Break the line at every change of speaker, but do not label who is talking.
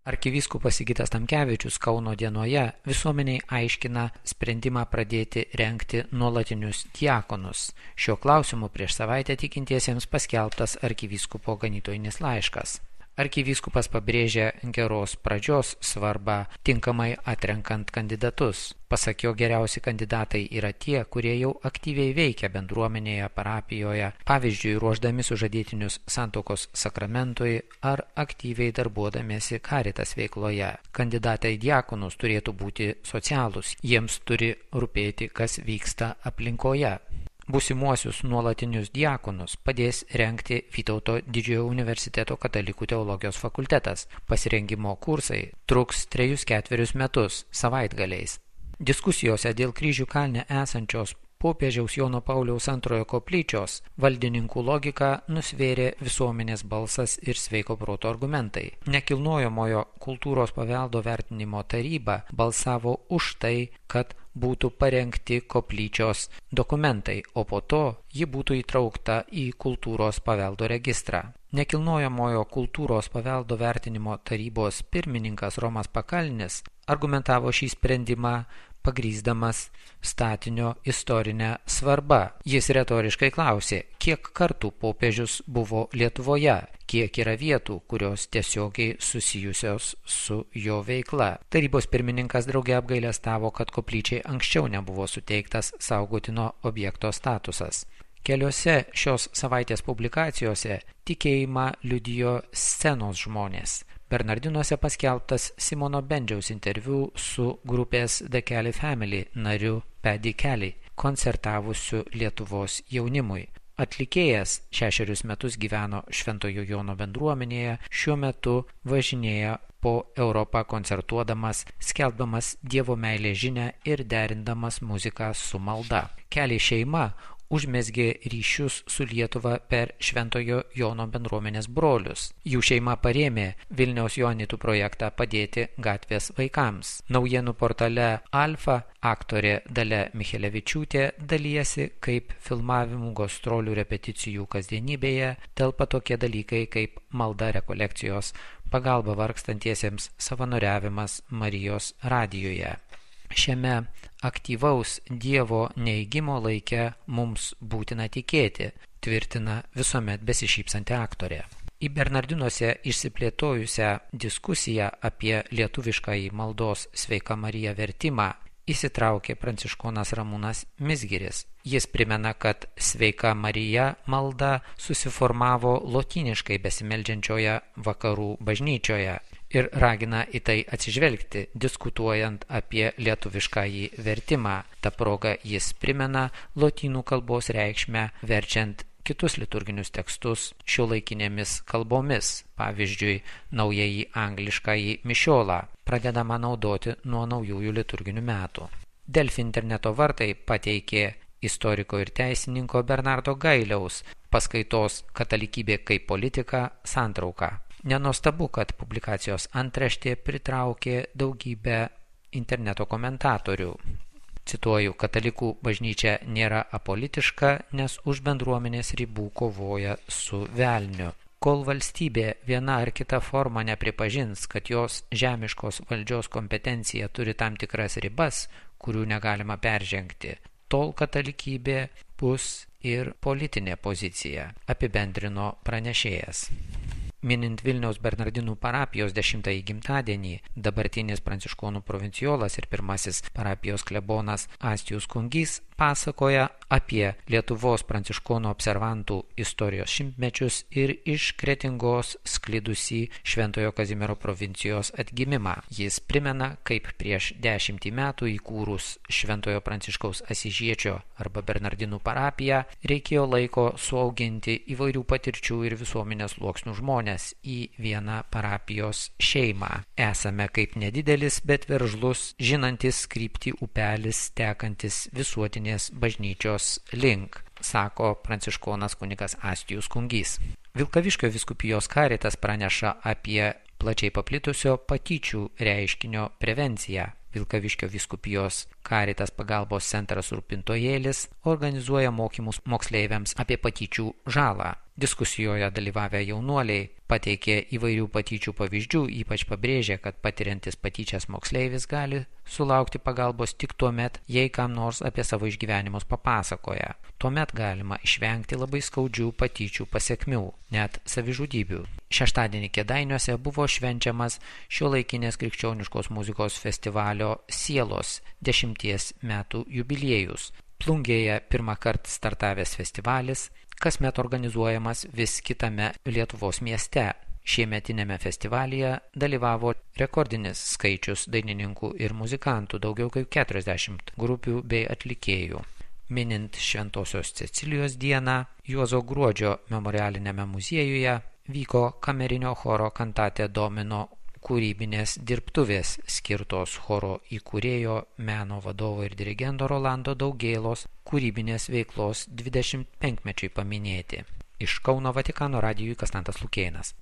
Arkivyskupas Sigitas Tamkevičius Kauno dienoje visuomeniai aiškina sprendimą pradėti rengti nuolatinius diakonus. Šiuo klausimu prieš savaitę tikintiesiems paskelbtas arkivyskupo ganytojinis laiškas. Arkivyskupas pabrėžia geros pradžios svarbą tinkamai atrenkant kandidatus. Pasak jo, geriausi kandidatai yra tie, kurie jau aktyviai veikia bendruomenėje, parapijoje, pavyzdžiui, ruošdami sužadėtinius santuokos sakramentui ar aktyviai darbuodamiesi Caritas veikloje. Kandidatai į diakonus turėtų būti socialūs, jiems turi rūpėti, kas vyksta aplinkoje. Būsimuosius nuolatinius diakonus padės rengti Vytauto Didžiojo universiteto katalikų teologijos fakultetas. Pasirengimo kursai truks 3-4 metus savaitgaliais. Diskusijose dėl Kryžių kalne esančios popiežiaus Jono Pauliaus II koplyčios valdininkų logiką nusvėrė visuomenės balsas ir sveiko proto argumentai. Nekilnojamojo kultūros paveldo vertinimo taryba balsavo už tai, kad būtų parengti koplyčios dokumentai, o po to ji būtų įtraukta į kultūros paveldo registrą. Nekilnojamojo kultūros paveldo vertinimo tarybos pirmininkas Romas Pakalnis argumentavo šį sprendimą pagrįsdamas statinio istorinę svarbą. Jis retoriškai klausė, kiek kartų popiežius buvo Lietuvoje, kiek yra vietų, kurios tiesiogiai susijusios su jo veikla. Tarybos pirmininkas drauge apgailestavo, kad koplyčiai anksčiau nebuvo suteiktas saugotino objekto statusas. Keliose šios savaitės publikacijose tikėjimą liudijo scenos žmonės. Bernardinuose paskelbtas Simono Bendžiaus interviu su grupės The Kelly Family nariu Paddy Kelly, koncertavusiu Lietuvos jaunimui. Atlikėjas 6 metus gyveno Šventojo Jono bendruomenėje, šiuo metu važinėja po Europą koncertuodamas, skelbdamas Dievo meilės žinią ir derindamas muziką su malda. Kelly šeima užmezgė ryšius su Lietuva per Šventojo Jono bendruomenės brolius. Jų šeima parėmė Vilniaus Joanitų projektą padėti gatvės vaikams. Naujienų portale Alfa aktorė Dalia Michelevičiūtė dalyjasi, kaip filmavimų, gastrolių, repeticijų kasdienybėje telpa tokie dalykai kaip malda, rekolekcijos, pagalba vargstantiesiems, savanoriavimas Marijos radijoje. Šiame aktyvaus Dievo neigimo laike mums būtina tikėti, tvirtina visuomet besišypsanti aktorė. Į Bernardinuose išsiplėtojusią diskusiją apie lietuviškąjį maldos Sveika Marija vertimą įsitraukė pranciškonas Ramūnas Mizgiris. Jis primena, kad Sveika Marija malda susiformavo lotyniškai besimeldžiančioje vakarų bažnyčioje ir ragina į tai atsižvelgti, diskutuojant apie lietuviškąjį vertimą. Ta proga jis primena lotynų kalbos reikšmę verčiant kitus liturginius tekstus šiuolaikinėmis kalbomis, pavyzdžiui, naująjį angliškąjį mišiolą, pradedama naudoti nuo naujųjų liturginių metų. Delfi interneto vartai pateikė istoriko ir teisininko Bernardo Gailiaus paskaitos Katalikybė kaip politika santrauką. Nenuostabu, kad publikacijos antraštė pritraukė daugybę interneto komentatorių. Cituoju, katalikų bažnyčia nėra apolitiška, nes už bendruomenės ribų kovoja su velniu. Kol valstybė viena ar kita forma nepripažins, kad jos žemiškos valdžios kompetencija turi tam tikras ribas, kurių negalima peržengti, tol katalikybė bus ir politinė pozicija, apibendrino pranešėjas. Minint Vilniaus Bernardinų parapijos 10-ąjį gimtadienį, dabartinis pranciškonų provincijolas ir pirmasis parapijos klebonas Astijus Kungys pasakoja apie Lietuvos pranciškonų observantų istorijos šimtmečius ir iš Kretingos sklidusį Šventojo Kazimiero provincijos atgimimą. Jis primena, kaip prieš 10 metų įkūrus Šventojo Pranciškaus Asyžiečio arba Bernardinų parapiją reikėjo laiko suauginti įvairių patirčių ir visuomenės sluoksnių žmonės į vieną parapijos šeimą. Esame kaip nedidelis, bet veržlus, žinantis kryptį upelis tekantis visuotinės bažnyčios link, sako pranciškonas kunigas Astijus Kungys. Vilkaviškio vyskupijos Caritas praneša apie plačiai paplitusio patyčių reiškinio prevenciją. Vilkaviškio vyskupijos Caritas pagalbos centras Rūpintojėlis organizuoja mokymus moksleiviams apie patyčių žalą. Diskusijoje dalyvavę jaunuoliai pateikė įvairių patyčių pavyzdžių, ypač pabrėžė, kad patiriantis patyčias moksleivis gali sulaukti pagalbos tik tuomet, jei kam nors apie savo išgyvenimus papasakoja. Tuomet galima išvengti labai skaudžių patyčių pasekmių, net savižudybių. Šeštadienį Kėdainiuose buvo švenčiamas šiuolaikinės krikščioniškos muzikos festivalio Sielos 10 metų jubiliejus. Plungėje pirmą kartą startavęs festivalis, kasmet organizuojamas vis kitame Lietuvos mieste. Šiemetinėme festivalyje dalyvavo rekordinis skaičius dainininkų ir muzikantų, daugiau kaip 40 grupių bei atlikėjų. Minint Šventosios Cecilijos dieną, Juozo Gruodžio memorialinėme muziejuje vyko kamerinio choro Cantate Domino kūrybinės dirbtuvės skirtos choro įkūrėjo, meno vadovo ir dirigento Rolando Daugėlos kūrybinės veiklos 25-mečiui paminėti. Iš Kauno Vatikano radijui Konstantas Lukėnas.